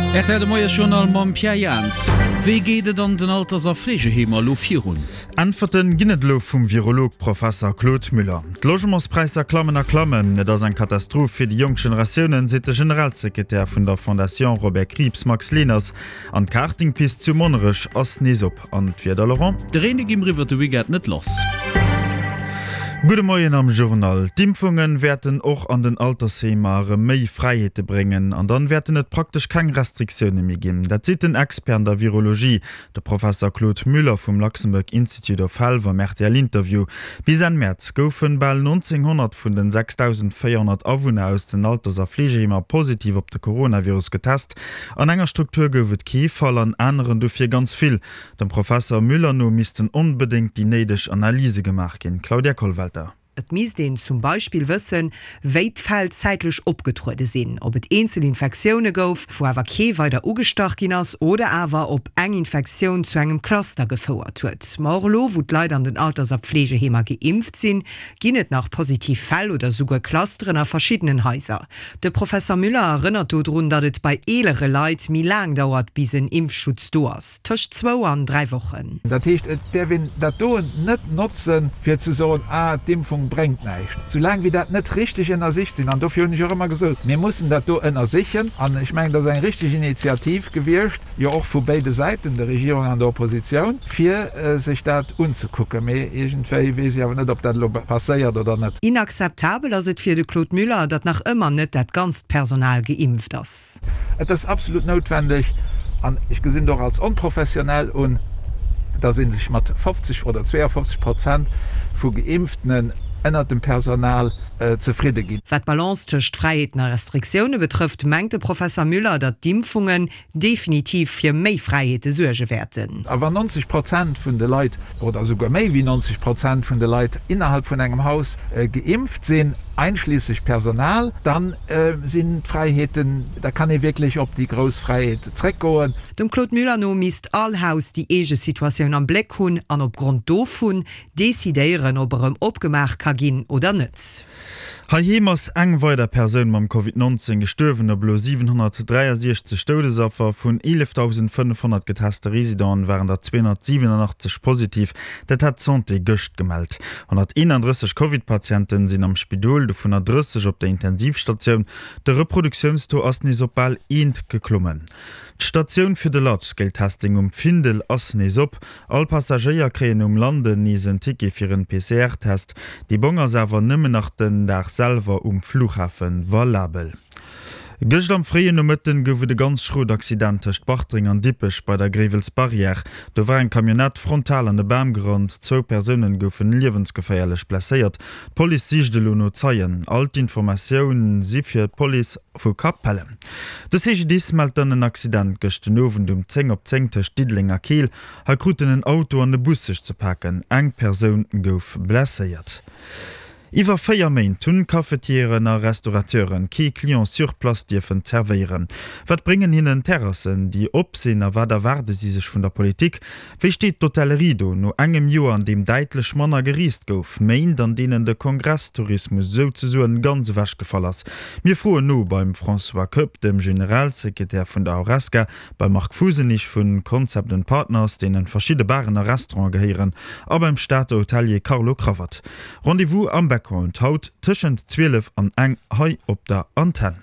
Rtl De Moiesjournal mam Pierre Jans. Wéi geet et an den Alters a Fleegeheemer elo virun? Äntwerten ginn et elo vum Virolog Professer Claude Müller. D'Logementspräisser klammen a klammen. Et ass eng Katastroph fir déi jonk Generatiounen, seet de Generalsekretär vun der Fondation Robert Krieps Max Leners. An d'Kartingpist zu Monnerech ass nees op. An d'Wieder, Laurent? De Reen, dee gi mer iwwert de Weekend net lass. Gudde Moien am Journal. D'Impfunge wäerten och an den Altersheemer erëm méi Fräiheete bréngen an dann wäerten et praktesch keng Restriktioune méi ginn. Dat seet den Expert an der Virologie, de Professer Claude Müller vum Luxembourg Institute of Health am RTL-Interview. Bis Enn Mäerz goufen bal 1.900 vun den 6.400 Awunner aus den Alters a Fleegeheemer positiv op de Coronavirus getest. An enger Struktur gouf et kee Fall, an aneren dofir ganz vill. Dem Professer Müller no missten onbedéngt déi néideg Analyse gemaach ginn. Claudia Kollwelter. Et misst een zum Beispill wëssen, wéi d'Fäll zäitlech opgetruede sinn, ob et eenzel Infektioune gouf, wou awer kee weider ugestach ginn ass, oder awer ob eng Infektioun zu engem Cluster gefouert huet. Ma och elo, wou d'Leit an den Alters a Pflegeheemer geimpft sinn, ginn et nach positiv Fäll oder souguer Clusteren a verschiddenen Haiser. De Professer Müller erënnert dodrun, datt et bei eelere Leit méi laang dauert, bis en Impfschutz do ass, tëscht zwou an 3 Wochen. Dat heescht, et däerf een dat do net notzen, fir ze soen, ah, d'Impfung bréngt näischt, soulaang wéi dat net richteg ënnersicht sinn. An dofir hunn ech och ëmmer gesot, mir mussen dat do ënnersichen. An ech mengen, dat ass eng richteg Initiativ gewiescht, jo och vu béide Säiten, der Regierung an der Oppositioun, fir sech dat unzekucken. Mee iergendwéi weess ech awer net, ob dat elo passéiert oder net. Inakzeptabel ass et fir de Claude Müller, datt nach ëmmer net dat ganzt Personal geimpft ass. Et ass absolut noutwendeg, an ech gesinn et och als onprofessionell un, datt ee sech mat 50 oder 52 Prozent vu Geimpftenen ënnert dem Personal zefridde ginn. Wat d'Balance tëscht Fräiheeten a Restriktioune betrëfft, mengt de Professer Müller, datt d'Impfungen definitiv fir méi Fräiheete suerge wäerten. A wann 90 Prozent vun de Leit, oder esouguer méi wéi 90 Prozent vun de Leit innerhalb vun engem Haus geimpft sinn, einschliesslech Personal, da sinn d'Fräiheeten, da kann ee wierklech op déi grouss Fräiheet zréckgoen. Dem Claude Müller no misst all Haus déi eege Situatioun am Bléck hunn an opgrond dovun decidéieren, ob erëm opgemaach ka ginn oder net. Heiheem ass eng weider Persoun mam Covid 19 gestuerwen. Op elo 763 Doudesaffer vun 11.500 geteste Residenten waren der 287 positiv. Dat hat d'Santé gëscht gemellt. 131 Covid-Patienten sinn am Spidol, dovunner 30 op der Intensivstatioun. De Reproduktiounstaux ass nees op bal eent geklommen. D'Statioun fir de Large-Scale Testing um Findel ass nees op. All Passagéier kréien um Landen nees en Ticket fir en PCR-Test. Dee Bong ass awer nëmmen nach den Dag selwer um Flughafe valabel. Gëscht am fréien Nomëtten gouf et e ganz schrot Accident tëscht Bartreng an Dippech bei der Gréiwels Barrière. Do war eng Camionnette frontal an e Bam gerannt. Zwou Persounen goufen liewensgeféierlech blesséiert. D'Police sicht elo no Zeien. All d'Informatioun si fir d'Police vu Capellen. De CGDIS mellt dann en Accident gëscht den Owend um 10 op 10 tëscht Diddeleng a Keel. Hei kruten en Auto an e Bus sech ze paken. Eng Persoun gouf blesséiert. Iwwer 4 Méint hunn Cafetieren a Restaurateuren kee Client sur place dierfen zerwéieren. Wat bréngen hinnen Terrassen, déi op sinn a wat erwaarde si sech vun der Politik? Wéi steet d'Hotellerie do no engem Joer, an deem däitlech manner gereest gouf, Méint, an deenen de Kongresstourismus souzesoen ganz ewechgefall ass? Mir froen no beim François Koepp, dem Generalsekretär vun der Horesca, beim Marc Fusenich vu Concept and Partners, deenen verschidde Baren a Restaurante gehéieren, a beim Stater Hotelier Carlo Cravat. Rendez-vous am Background haut tëschent 12 an eng hei op der Antenn.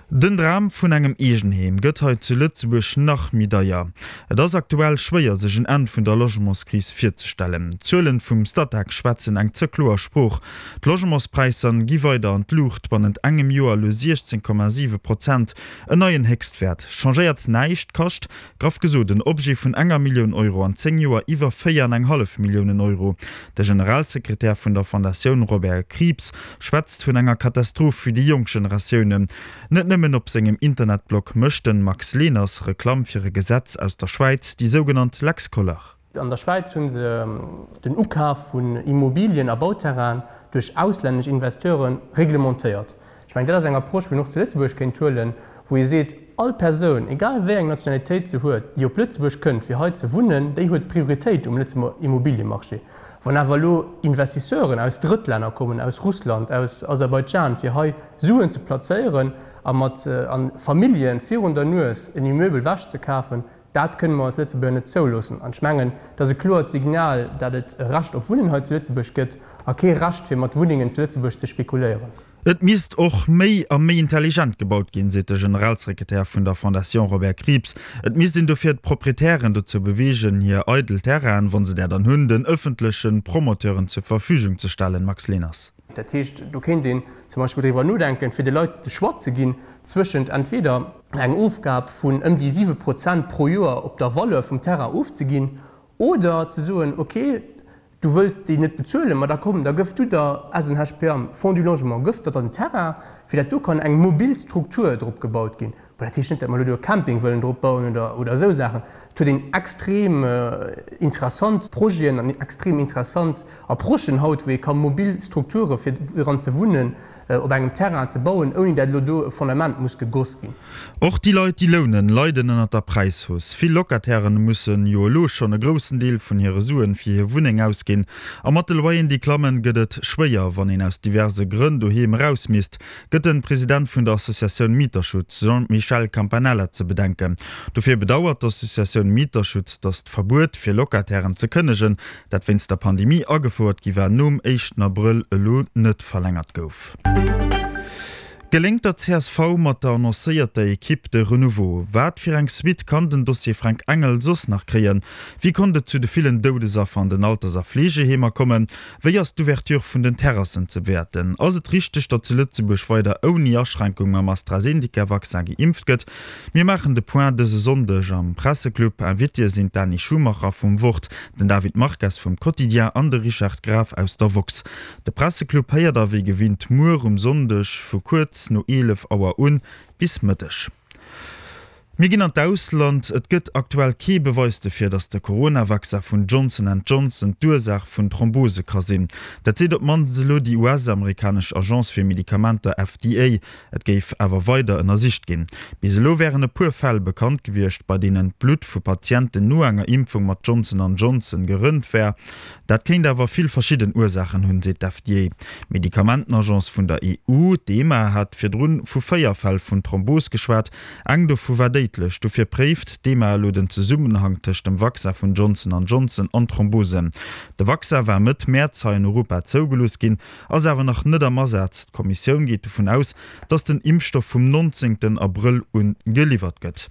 Den Dram vun engem Eegenheem gëtt hei zu Lëtzebuerg nach méi deier. Et ass aktuell schwéier sech en Enn vun der Logementskris virzestellen. D'Zuelen vum Statec schwätzen eng ze kloer Sprooch. D'Logementspräisser gi weider an d'Luucht, bannent engem Joer elo 16,7 Prozent, en neien Héchstwäert. Changéiert näischt, kascht, graff gesot, en Objet vun enger Millioun Euro an 10 Joer iwwer 4 an eng hallef Milliounen Euro. De Generalsekretär vun der Fondatioun Robert Krieps schwätzt vun enger Katastroph fir déi jonk Generatiounen. Net nëmmen op sengem Internetblog mécht den Max Leners Reklamm fir e Gesetz aus der Schwäiz, déi sougenannt Lex Koller. An der Schwäiz hu se den Ukaf vun Immobilien a Bauterrainen duerch auslännesch Investieure reglementéiert. Ech mengen, dat ass eng Approche, wou een och zu Lëtzebuerg kéint huelen, wou ee seet, all Persoun, egal wéi eng Nationalitéit se huet, déi op Lëtzebuerg kënnt, fir hei ze wunnen, déi huet Prioritéit um Lëtzebuerger Immobiliemarché. Wann awer elo Investisseuren aus Drëttlänner kommen, aus Russland, aus Aserbaidschan, fir hei Suen ze plazéieren. A mat a Famillje virun der Nues en Immeubel wechzekafen, dat kënne mer als Lëtzebuerger net zouloossen. An ech mengen, et ass e kloert Signal, dat et e Recht op Wunnen hei zu Lëtzebuerg gëtt a kee Recht fir mat Wunnengen zu Lëtzebuerg ze spekuléieren. Et misst och méi a méi intelligent gebaut ginn, seet de Generalsekretär vun der Fondation Robert Krieps. Et misst een dofir d'Proprietären dozou beweegen, hir eidel Terrainen, wa se där dann hunn, den ëffentleche Promoteuren zur Verfügung ze stellen. Max Leners. Dat heescht, do kéint een zum Beispill driwwer nodenken, fir de Leit de Choix ze ginn zwëschent entweder eng Ofgab vun ëm déi 7 Prozent pro Joer op der Valeur vum Terrain ofzeginn oder ze soen, okay, Du wëlls déi net bezuelen, ma da komm, da gëff du der SNHPAM, Fonds du Logement, gëff der den Terrain, fir dat do kann eng mobil Struktur drop gebaut ginn. Bon, dat heescht net, dat mer elo do e Camping wëllen drop bauen oder, oder esou Saachen. Et huet een extrem interessant Projeten an extrem interessant Approchen haut, wou ee ka mobil Strukture fir dran ze wunnen op engem Terrain ze bauen, ouni dat elo do e Fondament muss gegoss ginn. Och déi Leit, déi lounen, leiden ënnert der Präishausse. Vill Locatairen mussen jo elo schonn e groussen Deel vun hire Suen fir hir Wunneng ausginn. A mat de Loyeren, déi klammen, gëtt et schwéier, wann een aus diverse Grënn doheem eraus misst, gëtt de President vun der Associatioun Mieterschutz, Jean-Michel Campanella, ze bedenken. Dofir bedauert d'Associatioun Mieterschutz, datt d'Verbuet fir Locatairen ze kënnegen, dat wéinst der Pandemie agefouert gi war, nom éischten Abrëll elo net verlängert gouf. Geléngt der csv mat der annoncéierter Ekipp de Renouveau? Wat fir eng Suite kann den Dossier Fränk Engel soss nach kréien? Wéi konnt et zu de villen Doudesaffer an den Alters a Fleegeheemer kommen? Wéi ass d'Ouverture vun den Terrassen ze bewäerten? Ass et richteg, datt zu Lëtzebuerg weider ouni Aschränkung mam AstraZeneca-Vaccin geimpft gëtt? Mir maachen de Point dëse Sonndeg am Presseclub. Invitéë sinn d'Dani Schumacher vum Wort, den David Marques vum Quotidien an de Richard Graf aus der woxx. De Presseclub héiert der wéi gewinnt muer um Sonndeg vu kuerz no 11 Auer un bis Mëtteg. Mir ginn an d'Ausland. Et gëtt aktuell kee Beweis dofir, datt de Corona-Vaccin vun Johnson and Johnson d'Ursaach vun Thrombose ka sinn. Dat seet op d'mannst elo déi US-amerikanesch Agence fir Medikamenter FDA. Et géif awer weider ënnersicht ginn. Bis elo wären e puer Fäll bekannt gewiescht, bei deenen d'Blutt vu Patienten no enger Impfung mat Johnson an Johnson gerënnt wär. Dat kéint awer vill verschidden Ursaachen hunn, seet d'FDA. D'Medikamentenagence vun der EU, d'EMA, hat virdrun vu 4 Fäll vun Thrombos geschwat. Eng dovu war déidlech. Dofir préift d'EMA elo den Zesummenhang tëscht dem Vaccin vun Johnson an Johnson an Thrombosen. De Vaccin war Mëtt Mäerz hei an Europa zougelooss ginn, ass awer nach net am Asaz. D'Kommissioun geet dovun aus, datt den Impfstoff vum 19 Abrëll un geliwwert gëtt.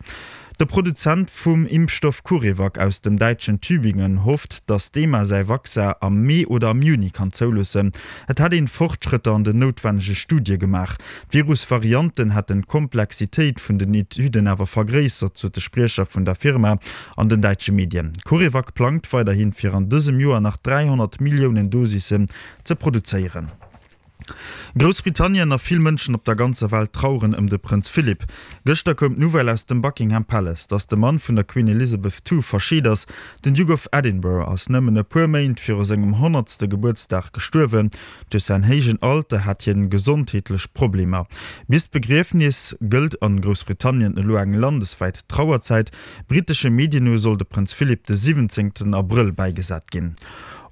De Produzent vum Impfstoff Curevac aus dem däitschen Tübingen hofft, datt d'EMA säi Vaccin am Mee oder am Juni kann zouloossen. Et hätt een Fortschrëtter an den noutwennege Studie gemaach. D'Virus-Varianten hätten d'Komplexitéit vun den Etüden awer vergréissert, sot de Spriecher vun der Firma an den däitsche Medien. Curevac plangt weiderhin, fir an dësem Joer nach 300 Milliounen Dosissen ze produzéieren. Groussbritannien a vill Mënschen op der ganzer Welt traueren ëm de Prënz Philip. Gëschter koum d'Nouvelle aus dem Buckingham Palace, datt de Mann vun der Queen Elizabeth ii verscheet ass. Den Duke of Edinburgh ass nëmmen e puer Méint viru sengem honnertste Gebuertsdag gestuerwen. Duerch säin héijen Alter hat hien gesondheetlech Problemer. Bis d'Begriefnis gëllt an Groussbritannien elo eng landeswäit Trauerzäit. Brittesche Medien no soll de Prënz Philip de 17 Abrëll bäigesat ginn.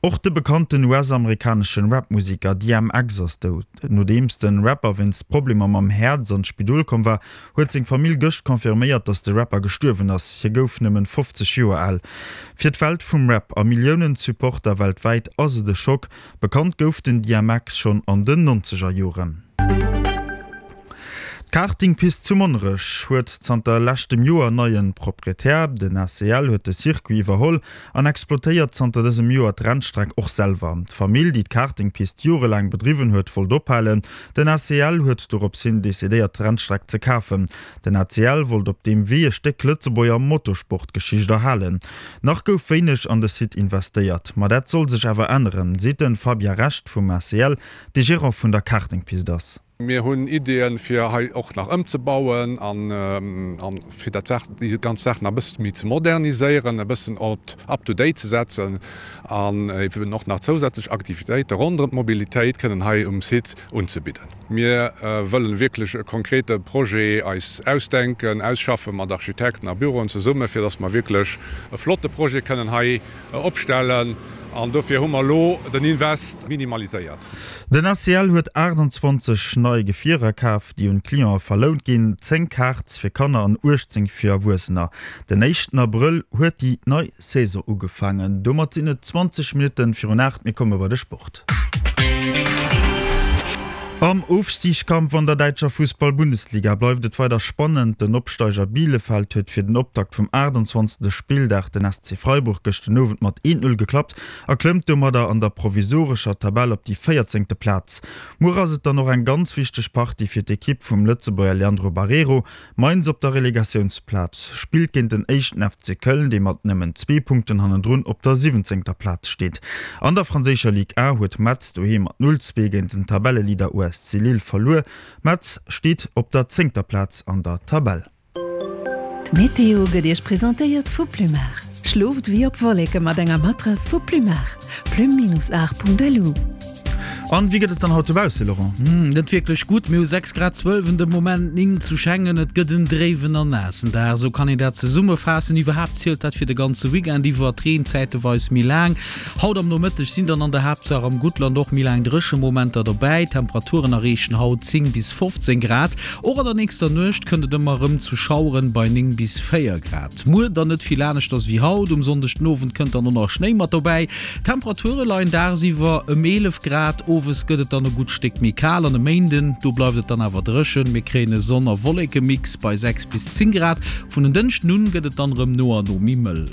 Och de bekannten US-amerikaneschen Rap-Museker DMX ass dout. Nodeems de Rapper wéinst Problemer mam Häerz an d'Spidol komm war, huet seng Famill gëscht confirméiert, dass de Rapper gestuerwen ass. Hie gouf nëmmen 50 Joer al. Fir d'Welt vum Rap a Milliounen Supporter weltwäit ass et e Schock. Bekannt gouf den DMX schonn an den nonzeger Joren. D'Kartingpist zu Monnerech huet zanter leschtem Joer en neien Proprietär. Den ACL huet de Circuit iwwerholl an exploitéiert zanter dësem Joer d'Rennstreck och selwer. D'Famill, déi d'Kartingpist jorelaang bedriwwen huet, wollt ophalen. Den ACL huet dorops hin decidéiert d'Rennstreck ze kafen. Den ACL wollt op deem Wee e Stéck Lëtzebuerger Motorsportgeschicht erhalen. Nach gouf wéineg an de Site investéiert, ma dat soll sech awer änneren, seet de Fabien Recht vum ACL, dee Gerant vun der Kartingpist ass. Mir hunn Ideeën, fir hei och nach ëmzebauen a fir dat Saach, déi ganz Saach nach e bësse méi ze moderniséieren, e bëssen op up to date ze setzen an eben och nach zousätzlech Aktivitéite ronderëm d'Mobilitéit kënnen hei um Site unzebidden. Mir wëllen wierklech e konkrete Projet eis ausdenken, ausschaffe mat Architekten a Büroen zesummen, fir dass mer wierklech e flotte Projet kënnen hei opstellen. An dofir hu mer elo den Invest minimaliséiert. Den ACL huet 28 nei Gefierer kaf, déi un d'Cliente verlount ginn, 10 Karts fir Kanner an 18 fir Erwuessener. Den éischten Abrëll huet déi nei Saison ugefaangen. Domat sinn et 20 Minutte virun 8, mir komme bei de Sport. Am Ofstigskampf an der däitscher Fussball-Bundesliga bleift et weider spannend. Den Opsteiger Bielefeld huet fir den Optakt vum 28. Spilldag den SC Freiburg gëscht den Owend mat 1, 0 geklappt a klëmmt domadder an der provisorescher Tabell op déi véierzéngte Plaz. Muer ass et dann och eng ganz wichteg Partie fir d'Ekipp vum Lëtzebuerger Leandro Barreiro. Mainz op der Relegatiounsplaz spillt géint den éischten FC Köln, dee mat nëmmen zwee Punkten hannendrun op der siwwenzéngter Plaz steet. An der franséischer Ligue 1 huet Metz doheem mat 0, 2 géint den Tabelleleader USC Lille verluer. Metz steet op der zéngter Plaz an der Tabell. D'Meteo gëtt Iech presentéiert vu Plumar. Schlooft wéi op Wolleke mat enger Matrass vu Plumar. Plume-art.lu. An wéi gëtt et dann haut dobausse, Laurent? Net wierklech gutt, mir hu 6 Grad 12 en de Moment, 9 zu Schengen. Et gëtt en dréiwen an naassen Dag, esou kann een dat zesummefaassen. Iwwerhaapt zielt dat fir de ganze Weekend iwwer, d'Reen zäiteweis méi laang. Haut am Nomëtteg sinn dann an der Haaptsaach am Guttland och méi laang Dréchemomenter dobäi. D'Temperaturen erreechen haut 10 bis 15 Grad. Och an der nächster Nuecht kënnt et ëmmer erëm zu Schaueren bei 9 bis 4 Grad. Muer dann net vill aneschters wéi haut, um Sonndeg den Owend kënnt dann och nach Schnéi mat dobäi. D'Temperature leien dagsiwwer ëm 11 Grad, owes gëtt et dann e gutt Stéck méi kal an e Méinden, do bleift et dann awer dréchen. Mir kréien e Sonn a Wollekemix bei 6 bis 10 Grad. Vun en Dënschden un gëtt et dann erëm no a no méi mëll.